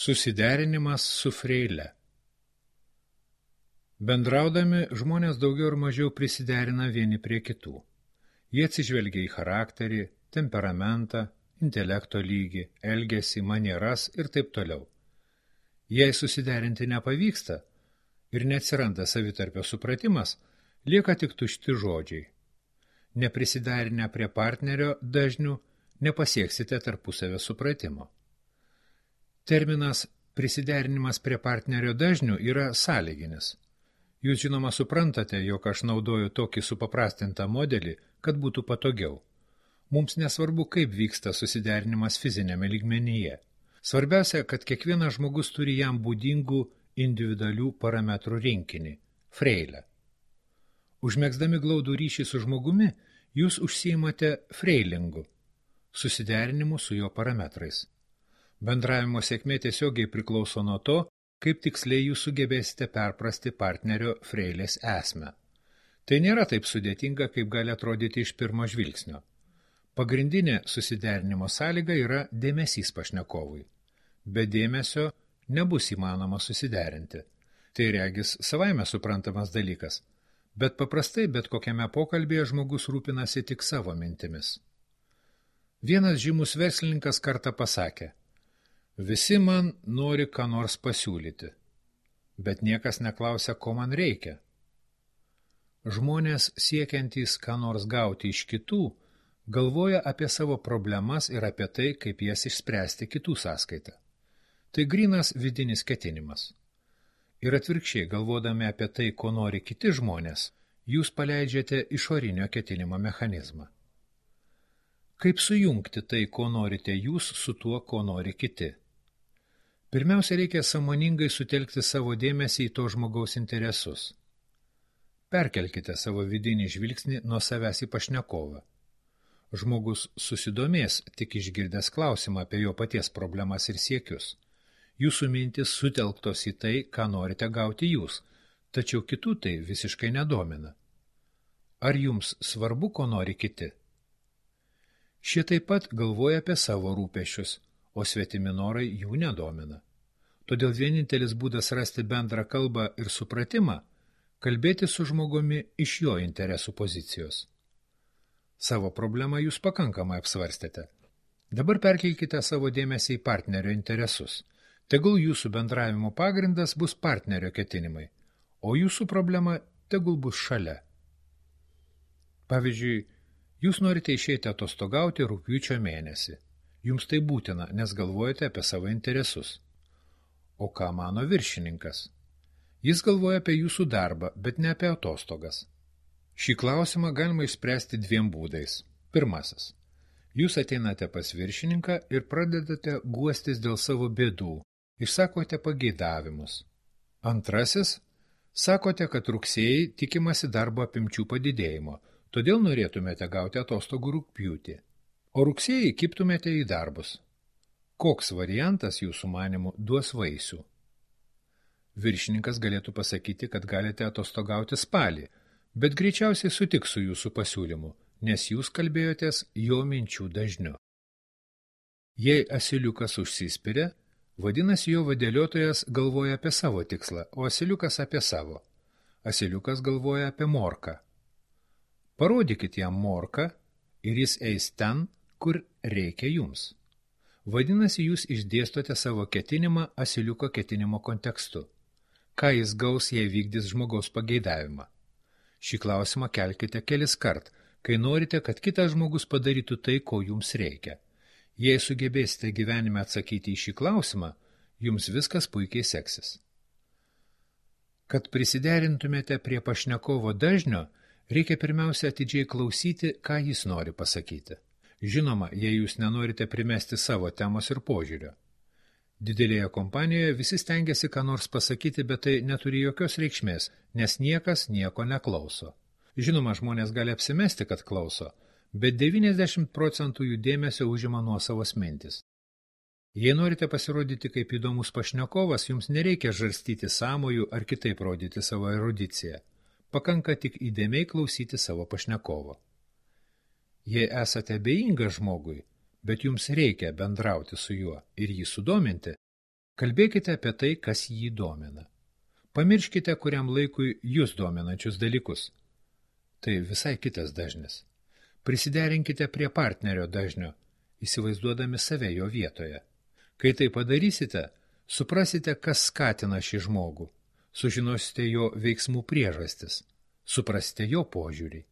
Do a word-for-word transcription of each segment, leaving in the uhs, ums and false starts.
Susiderinimas su freile. Bendraudami žmonės daugiau ir mažiau prisiderina vieni prie kitų. Jie atsižvelgia į charakterį, temperamentą, intelekto lygį, elgesį, manieras ir taip toliau. Jei susiderinti nepavyksta ir neatsiranda savitarpio supratimas, lieka tik tušti žodžiai. Neprisiderinę prie partnerio dažnių nepasieksite tarpusavio supratimo. Terminas prisiderinimas prie partnerio dažnių yra sąlyginis. Jūs žinoma suprantate, jog aš naudoju tokį supaprastintą modelį, kad būtų patogiau. Mums nesvarbu, kaip vyksta susiderinimas fizinėme lygmenyje. Svarbiausia, kad kiekvienas žmogus turi jam būdingų individualių parametrų rinkinį – freilę. Užmegzdami glaudų ryšį su žmogumi, jūs užsiimate freilingu – susiderinimu su jo parametrais. Bendravimo sėkmė tiesiogiai priklauso nuo to, kaip tiksliai jūs sugebėsite perprasti partnerio freilės esmę. Tai nėra taip sudėtinga, kaip gali atrodyti iš pirmo žvilgsnio. Pagrindinė susiderinimo sąlyga yra dėmesys pašnekovui. Be dėmesio nebus įmanoma susiderinti. Tai regis savaime suprantamas dalykas, bet paprastai bet kokiame pokalbėje žmogus rūpinasi tik savo mintimis. Vienas žymus verslininkas kartą pasakė: visi man nori ką nors pasiūlyti, bet niekas neklausia, ko man reikia. Žmonės siekiantys ką nors gauti iš kitų, galvoja apie savo problemas ir apie tai, kaip jas išspręsti kitų sąskaitą. Tai grynas vidinis ketinimas. Ir atvirkščiai, galvodami apie tai, ko nori kiti žmonės, jūs paleidžiate išorinio ketinimo mechanizmą. Kaip sujungti tai, ko norite jūs, su tuo, ko nori kiti? Pirmiausia, reikia sąmoningai sutelkti savo dėmesį į to žmogaus interesus. Perkelkite savo vidinį žvilgsnį nuo savęs į pašnekovą. Žmogus susidomės, tik išgirdęs klausimą apie jo paties problemas ir siekius. Jūsų mintis sutelktos į tai, ką norite gauti jūs, tačiau kitų tai visiškai nedomina. Ar jums svarbu, ko nori kiti? Šie taip pat galvoja apie savo rūpesčius, o svetimi norai jų nedomina. Todėl vienintelis būdas rasti bendrą kalbą ir supratimą – kalbėti su žmogumi iš jo interesų pozicijos. Savo problemą jūs pakankamai apsvarstėte. Dabar perkelkite savo dėmesį į partnerio interesus. Tegul jūsų bendravimo pagrindas bus partnerio ketinimai, o jūsų problema tegul bus šalia. Pavyzdžiui, jūs norite išeiti atostogauti rugpjūčio mėnesį. Jums tai būtina, nes galvojate apie savo interesus. O ką mano viršininkas? Jis galvoja apie jūsų darbą, bet ne apie atostogas. Šį klausimą galima išspręsti dviem būdais. Pirmasis. Jūs ateinate pas viršininką ir pradedate guostis dėl savo bėdų, išsakote pageidavimus. Antrasis. Sakote, kad rugsėjai tikimasi darbo apimčių padidėjimo, todėl norėtumėte gauti atostogų rugpjūtį. O rugsėjai kiptumėte į darbus. Koks variantas jūsų manimų duos vaisių? Viršininkas galėtų pasakyti, kad galite atostogauti spalį, bet greičiausiai sutiks su jūsų pasiūlymu, nes jūs kalbėjotės jo minčių dažniu. Jei asiliukas užsispiria, vadinasi jo vadėliotojas galvoja apie savo tikslą, o asiliukas apie savo. Asiliukas galvoja apie morką. Parodykit jam morką ir jis eis ten, kur reikia jums. Vadinasi, jūs išdėstote savo ketinimą asiliuko ketinimo kontekstu. Ką jis gaus, jei vykdys žmogaus pageidavimą? Šį klausimą kelkite kelis kart, kai norite, kad kitas žmogus padarytų tai, ko jums reikia. Jei sugebėsite gyvenime atsakyti į šį klausimą, jums viskas puikiai seksis. Kad prisiderintumėte prie pašnekovo dažnio, reikia pirmiausia atidžiai klausyti, ką jis nori pasakyti. Žinoma, jei jūs nenorite primesti savo temos ir požiūrio. Didelėje kompanijoje visi stengiasi ką nors pasakyti, bet tai neturi jokios reikšmės, nes niekas nieko neklauso. Žinoma, žmonės gali apsimesti, kad klauso, bet devyniasdešimt procentų jų dėmesio užima nuosavos mintis. Jei norite pasirodyti kaip įdomus pašnekovas, jums nereikia žarstyti sąmojų ar kitaip rodyti savo erudiciją. Pakanka tik įdėmiai klausyti savo pašnekovo. Jei esate abejingas žmogui, bet jums reikia bendrauti su juo ir jį sudominti, Kalbėkite apie tai, kas jį domina. Pamirškite kuriam laikui jūs dominančius dalykus. Tai visai kitas dažnis. Prisiderinkite prie partnerio dažnio, įsivaizduodami save jo vietoje. Kai tai padarysite, suprasite, kas skatina šį žmogų, sužinosite jo veiksmų priežastis, suprasite jo požiūrį.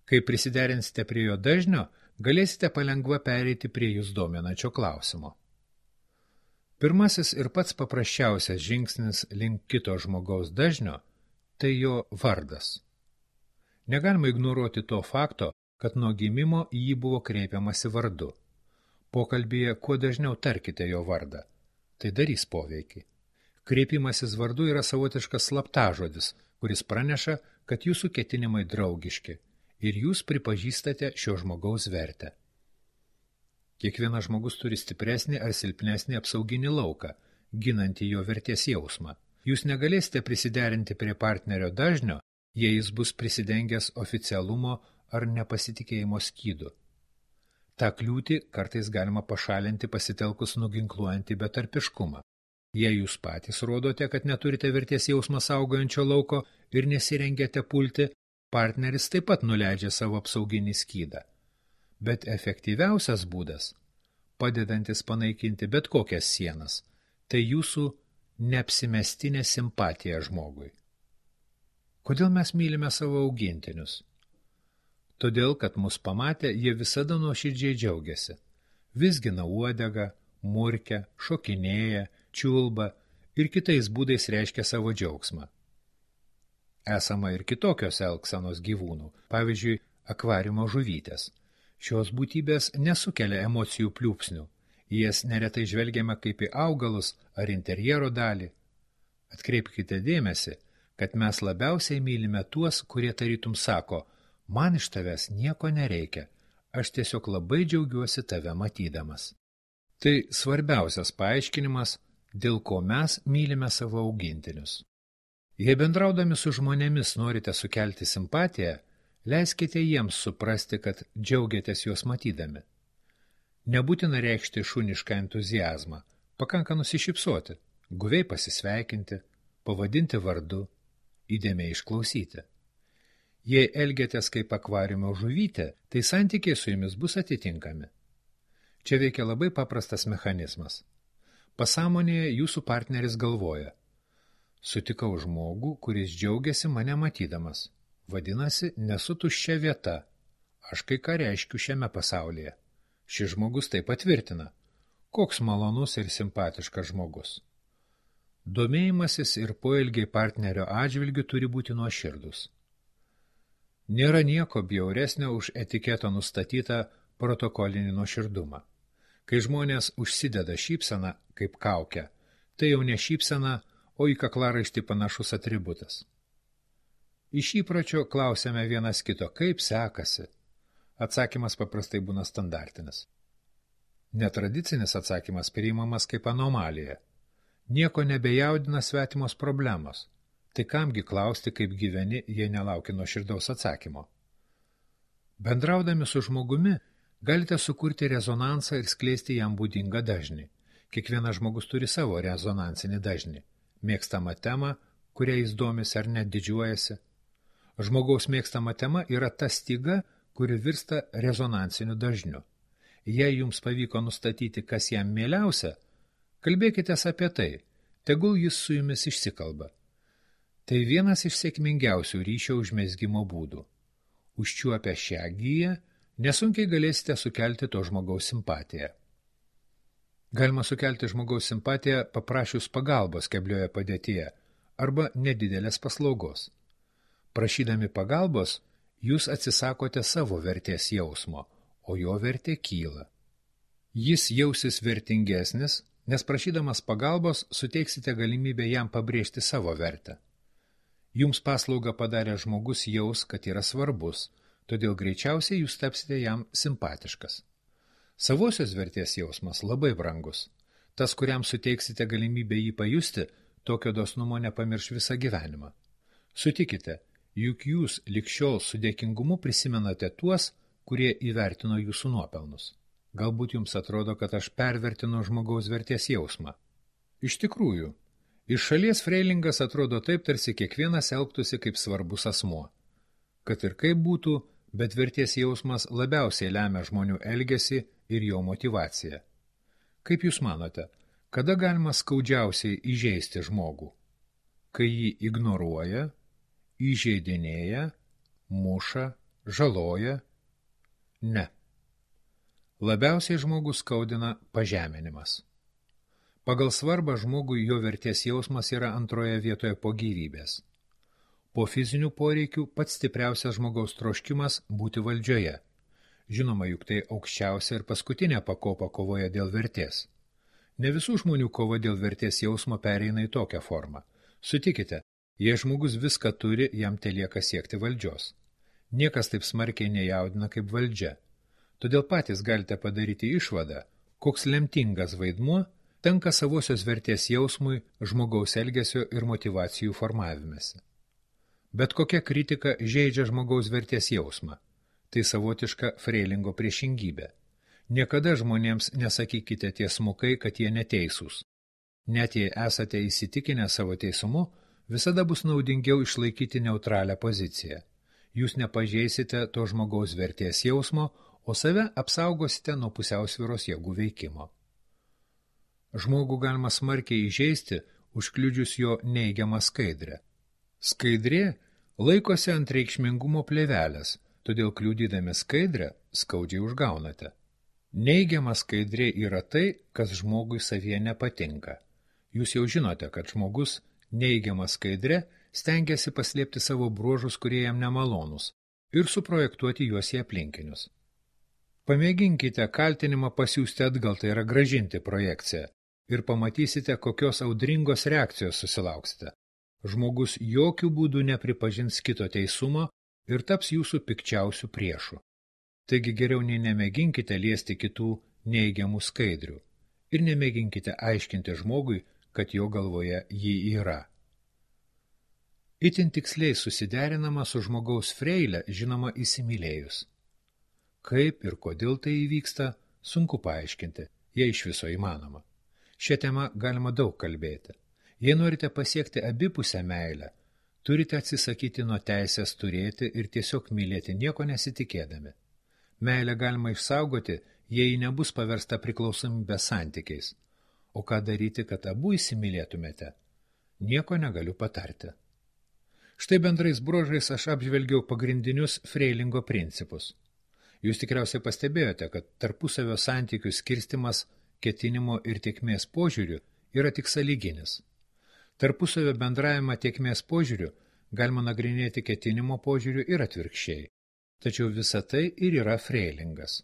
Kai prisiderinsite prie jo dažnio, galėsite palengva pereiti prie jūs dominančio klausimo. Pirmasis ir pats paprasčiausias žingsnis link kito žmogaus dažnio – tai jo vardas. Negalima ignoruoti to fakto, kad nuo gimimo į jį buvo kreipiamasi vardu. Pokalbyje kuo dažniau tarkite jo vardą. Tai darys poveikį. Kreipimasis vardu yra savotiškas slaptažodis, kuris praneša, kad jūsų ketinimai draugiški ir jūs pripažįstate šio žmogaus vertę. Kiekvienas žmogus turi stipresnį ar silpnesnį apsauginį lauką, ginantį jo vertės jausmą. Jūs negalėsite prisiderinti prie partnerio dažnio, jei jis bus prisidengęs oficialumo ar nepasitikėjimo skydu. Ta kliūtį kartais galima pašalinti pasitelkus nuginkluojantį betarpiškumą. Jei jūs patys rodote, kad neturite vertės jausmą saugojančio lauko ir nesirengiate pulti, partneris taip pat nuleidžia savo apsauginį skydą. Bet efektyviausias būdas, padedantis panaikinti bet kokias sienas, tai jūsų neapsimestinė simpatija žmogui. Kodėl mes mylime savo augintinius? Todėl, kad mus pamatę, jie visada nuoširdžiai džiaugiasi. Vizgina uodegą, murkia, šokinėja, čiulba ir kitais būdais reiškia savo džiaugsmą. Esama ir kitokios elgsenos gyvūnų, pavyzdžiui, akvariumo žuvytės. Šios būtybės nesukelia emocijų pliūpsnių, į jas neretai žvelgiame kaip į augalus ar interjero dalį. Atkreipkite dėmesį, kad mes labiausiai mylime tuos, kurie tarytum sako, man iš tavęs nieko nereikia, aš tiesiog labai džiaugiuosi tave matydamas. Tai svarbiausias paaiškinimas, dėl ko mes mylime savo augintinius. Jei bendraudami su žmonėmis norite sukelti simpatiją, leiskite jiems suprasti, kad džiaugiatės juos matydami. Nebūtina reikšti šunišką entuziazmą, pakanka nusišypsoti, guviai pasisveikinti, pavadinti vardu, įdėmiai išklausyti. Jei elgiatės kaip akvariumo žuvytė, tai santykiai su jumis bus atitinkami. Čia veikia labai paprastas mechanizmas. Pasąmonėje jūsų partneris galvoja, sutikau žmogų, kuris džiaugiasi mane matydamas. Vadinasi, nesu tuščia vieta. Aš kai ką reiškiu šiame pasaulyje. Šis žmogus tai patvirtina. Koks malonus ir simpatiškas žmogus. Domėjimasis ir poelgiai partnerio atžvilgiu turi būti nuoširdus. Nėra nieko bjauresnio už etiketo nustatytą protokolinį nuoširdumą. Kai žmonės užsideda šypseną kaip kaukę, tai jau ne šypsena, o į kaklaraištį panašus atributas. Iš įpročio klausiame vienas kito, kaip sekasi. Atsakymas paprastai būna standartinis. Netradicinis atsakymas priimamas kaip anomalija. Nieko nebejaudina svetimos problemos. Tai kamgi klausti, kaip gyveni, jei nelauki nuoširdaus atsakymo. Bendraudami su žmogumi, galite sukurti rezonansą ir skleisti jam būdingą dažnį. Kiekvienas žmogus turi savo rezonansinį dažnį. Mėgstamą temą, kuria jis domisi ar net didžiuojasi. Žmogaus mėgstama tema yra ta styga, kuri virsta rezonansiniu dažniu. Jei jums pavyko nustatyti, kas jam mieliausia, kalbėkitės apie tai, tegul jis su jumis išsikalba. Tai vienas iš sėkmingiausių ryšio užmezgimo būdų. Užčiuopę šią giją, nesunkiai galėsite sukelti to žmogaus simpatiją. Galima sukelti žmogaus simpatiją paprašius pagalbos keblioje padėtyje arba nedidelės paslaugos. Prašydami pagalbos, jūs atsisakote savo vertės jausmo, o jo vertė kyla. Jis jausis vertingesnis, nes prašydamas pagalbos suteiksite galimybę jam pabrėžti savo vertę. Jums paslaugą padarė žmogus jaus, kad yra svarbus, todėl greičiausiai jūs tapsite jam simpatiškas. Savosios vertės jausmas labai brangus. Tas, kuriam suteiksite galimybę jį pajusti, tokio dosnumo nepamirš visą gyvenimą. Sutikite, juk jūs lig šiol su dėkingumu prisimenate tuos, kurie įvertino jūsų nuopelnus. Galbūt jums atrodo, kad aš pervertinu žmogaus vertės jausmą. Iš tikrųjų, iš šalies freilingas atrodo taip, tarsi kiekvienas elgtųsi kaip svarbus asmuo. Kad ir kaip būtų, bet vertės jausmas labiausiai lemia žmonių elgesį ir jo motyvaciją. Kaip jūs manote, kada galima skaudžiausiai įžeisti žmogų? Kai jį ignoruoja, įžeidinėja, muša, žaloja? Ne. Labiausiai žmogų skaudina pažeminimas. Pagal svarbą žmogui jo vertės jausmas yra antroje vietoje po gyvybės. Po fizinių poreikių pats stipriausias žmogaus troškimas būti valdžioje. Žinoma, juk tai aukščiausia ir paskutinė pakopa kovoje dėl vertės. Ne visų žmonių kova dėl vertės jausmo pereina į tokią formą. Sutikite, jei žmogus viską turi, jam telieka siekti valdžios. Niekas taip smarkiai nejaudina kaip valdžia. Todėl patys galite padaryti išvadą, koks lemtingas vaidmuo tenka savosios vertės jausmui žmogaus elgesio ir motyvacijų formavimėsi. Bet kokia kritika žeidžia žmogaus vertės jausmą. Tai savotiška freilingo priešingybė. Niekada žmonėms nesakykite tiesmukai, kad jie neteisūs. Net jei esate įsitikinę savo teisumu, visada bus naudingiau išlaikyti neutralią poziciją. Jūs nepažeisite to žmogaus vertės jausmo, o save apsaugosite nuo pusiausvyros jėgų veikimo. Žmogų galima smarkiai įžeisti, užkliudžius jo neigiamą skaidrę. Skaidrė laikosi ant reikšmingumo plėvelės, todėl kliudydami skaidrę skaudžiai užgaunate. Neigiama skaidrė yra tai, kas žmogui savyje nepatinka. Jūs jau žinote, kad žmogus neigiama skaidrė stengiasi paslėpti savo bruožus, kurie jam nemalonūs, ir suprojektuoti juos į aplinkinius. Pamėginkite kaltinimą pasiųsti atgal, tai yra grąžinti projekciją, ir pamatysite, kokios audringos reakcijos susilauksite. Žmogus jokių būdų nepripažins kito teisumo ir taps jūsų pikčiausių priešų. Taigi geriau nei nemėginkite liesti kitų neigiamų skaidrių ir nemėginkite aiškinti žmogui, kad jo galvoje jį yra. Itin tiksliai susiderinama su žmogaus freile, žinoma, įsimylėjus. Kaip ir kodėl tai įvyksta, sunku paaiškinti, jei iš viso įmanoma. Šią temą galima daug kalbėti. Jei norite pasiekti abipusę meilę, turite atsisakyti nuo teisės turėti ir tiesiog mylėti nieko nesitikėdami. Meilę galima išsaugoti, jei ji nebus paversta priklausomybės santykiais. O ką daryti, kad abu įsimylėtumėte? Nieko negaliu patarti. Štai bendrais bruožais aš apžvelgiau pagrindinius freilingo principus. Jūs tikriausiai pastebėjote, kad tarpusavio santykių skirstimas ketinimo ir tiekmės požiūrių yra tik sąlyginis. Tarpusavio bendravimą tiekmės požiūrių galima nagrinėti ketinimo požiūrių ir atvirkščiai. Tačiau visa tai ir yra freilingas.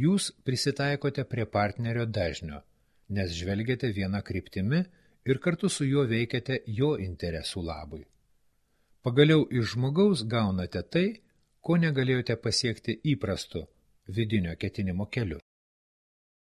Jūs prisitaikote prie partnerio dažnio, nes žvelgiate vieną kryptimi ir kartu su juo veikiate jo interesų labui. Pagaliau iš žmogaus gaunate tai, ko negalėjote pasiekti įprastu vidinio ketinimo keliu.